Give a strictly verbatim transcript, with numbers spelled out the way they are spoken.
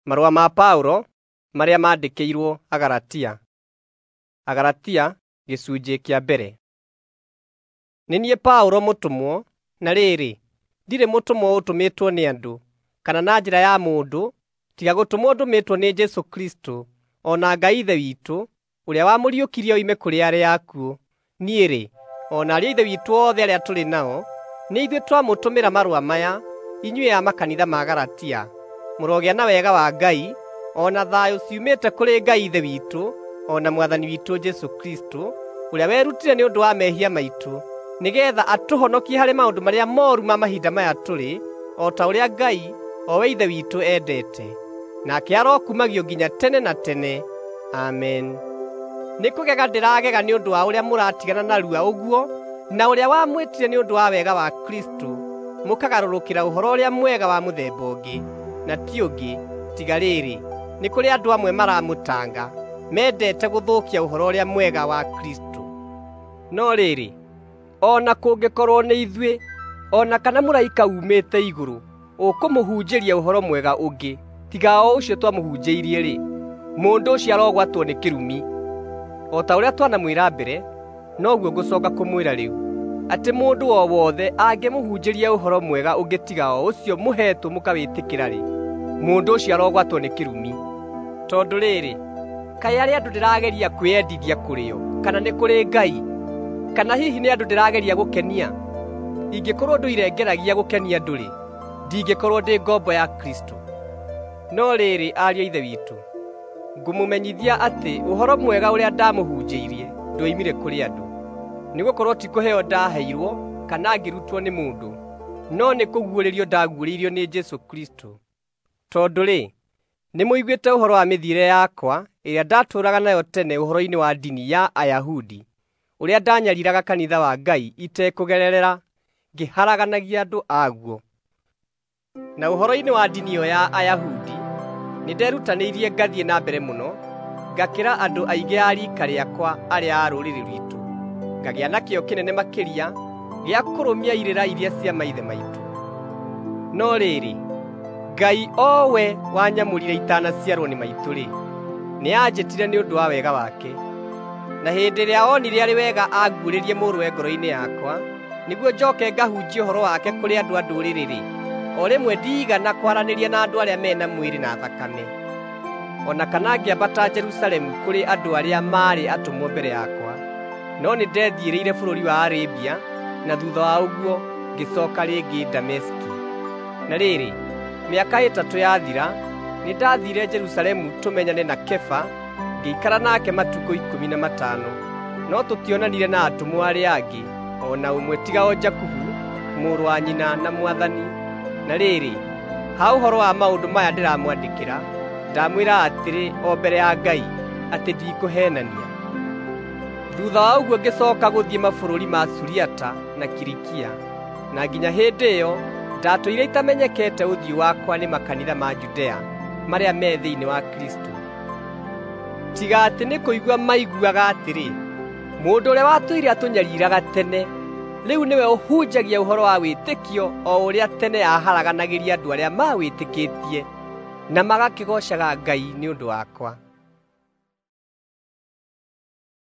Marũa ma Paulo marĩa maandĩkĩirwo Agalatia. Agalatia gĩcunjĩ kĩa mbere. Nĩ niĩ Paulo mũtũmwo, na rĩrĩ, ndirĩ mũtũmwo ũtũmĩtwo nĩ andũ, kana na njĩra ya mũndũ, tiga gũtũmwo ndũmĩtwo nĩ Jesũ Kristũ, o na Ngai Ithe witũ, ũrĩa wamũriũkirie oime kũrĩ arĩa akuũ. Niĩ-rĩ, o na ariũ a Ithe witũ othe arĩa tũrĩ nao, nĩ ithuĩ twamũtũmĩra marũa maya, inyuĩ a makanitha ma Galatia. Mũrogĩa na wega wa Ngai, o na thayũ ciumĩte kũrĩ Ngai Ithe witũ, o na Mwathani witũ Jesũ Kristũ, ũrĩa werutire nĩ ũndũ wa mehia maitũ, nĩgeetha atũhonokie harĩ maũndũ marĩa mooru ma mahinda maya tũrĩ, o ta ũrĩa Ngai, o we Ithe witũ, endete. Nake arokumagio nginya tene na tene. Amen. Nĩ kũgega ndĩragega nĩ ũndũ wa ũrĩa mũratigana narua ũguo, na ũrĩa wamwĩtire nĩ ũndũ wa wega wa Kristũ, mũkagarũrũkĩra ũhoro ũrĩa mwega wa mũthemba ũngĩ, na ti ũngĩ, tiga rĩrĩ, nĩ kũrĩ andũ amwe maramũtanga, mendete gũthũkia ũhoro ũrĩa mwega wa Kristũ. No rĩrĩ, o na kũngĩkorwo nĩ ithuĩ, o na kana mũraika uumĩte igũrũ ũkũmũhunjĩria ũhoro mwega ũngĩ, tiga o ũcio twamũhunjĩirie-rĩ, mũndũ ũcio arogwatwo nĩ kĩrumi. O ta ũrĩa twanamwĩra mbere, noguo ngũcooka kũmwĩra rĩu, atĩ mũndũ o wothe angĩmũhunjĩria ũhoro mwega ũngĩ tiga o ũcio mũheetwo mũkawĩtĩkĩra-rĩ, mũndũ ũcio arogwatwo nĩ kĩrumi. Tondũ rĩrĩ, kaĩ arĩ andũ ndĩrageria kwĩyendithia kũrĩ o, kana nĩ kũrĩ Ngai? Kana hihi nĩ andũ ndĩrageria gũkenia? Ingĩkorwo ndũire ngeragia gũkenia andũ-rĩ, ndingĩkorwo ndĩ ngombo ya Kristũ. No rĩrĩ, ariũ a Ithe witũ, ngũmũmenyithia atĩ ũhoro mwega ũrĩa ndamũhunjĩirie ndwoimire kũrĩ andũ. Nĩgũkorwo ti kũheo ndaheirwo kana ngĩrutwo nĩ mũndũ, no nĩ kũguũrĩrio ndaguũrĩirio nĩ Jesũ Kristũ. Tondũ-rĩ, nĩmũiguĩte ũhoro wa mĩthiĩre yakwa ĩrĩa ndatũũraga nayo tene ũhoro-inĩ wa ndini ya Ayahudi, ũrĩa ndanyariiraga kanitha wa Ngai itekũgererera, ngĩharaganagia andũ aguo. Na ũhoro-inĩ wa ndini ĩyo ya Ayahudi, nĩnderutanĩirie ngathiĩ na mbere mũno, ngakĩra andũ aingĩ a riika rĩakwa arĩa a rũrĩrĩ rwitũ, ngagĩa na kĩyo kĩnene makĩria gĩa kũrũmia irĩra iria cia maithe maitũ. No rĩrĩ, Ngai o we wanyamũrire itanaciarwo nĩ maitũ-rĩ, nĩanjĩtire nĩ ũndũ wa wega wake. Na hĩndĩ ĩrĩa onire arĩ wega anguũrĩrie Mũrũwe ngoro-inĩ yakwa, nĩguo njooke ngahunjie ũhoro wake kũrĩ andũ a ndũrĩrĩ-rĩ, o rĩmwe ndiigana kwaranĩria na andũ arĩa me na mwĩrĩ na thakame, o na kana ngĩambata Jerusalemu kũrĩ andũ arĩa maarĩ atũmwo mbere yakwa, no nĩndethiĩrĩire bũrũri wa Arabia, na thuutha wa ũguo ngĩcooka rĩngĩ Dameski. Na rĩrĩ, mĩaka ĩtatũ yathira, nĩndathiire Jerusalemu tũmenyane na Kefa, ngĩikara nake matukũ ikũmi na matano, no tũtionanire na atũmwo arĩa angĩ o na ũmwe tiga o Jakubu, mũrũ wa nyina na Mwathani. Na rĩrĩ, ha ũhoro wa maũndũ maya ndĩramwandĩkĩra, ndamwĩra atĩrĩ o mbere ya Ngai, atĩ ndikũheenania. Thuutha wa ũguo ngĩcooka gũthiĩ mabũrũri ma Suriata na Kilikia, na nginya hĩndĩ ĩyo ndatũire itamenyekete ũthiũ wakwa nĩ makanitha ma Judea marĩa me thĩinĩ wa Kristũ. Tiga atĩ nĩ kũigua maiguaga atĩrĩ, mũndũ ũrĩa watũire atũnyariiraga tene, rĩu nĩwe ũhunjagia ũhoro wa wĩtĩkio o ũrĩa tene aaharaganagĩria andũ arĩa mawĩtĩkĩtie, na magakĩgoocaga Ngai nĩ ũndũ wakwa.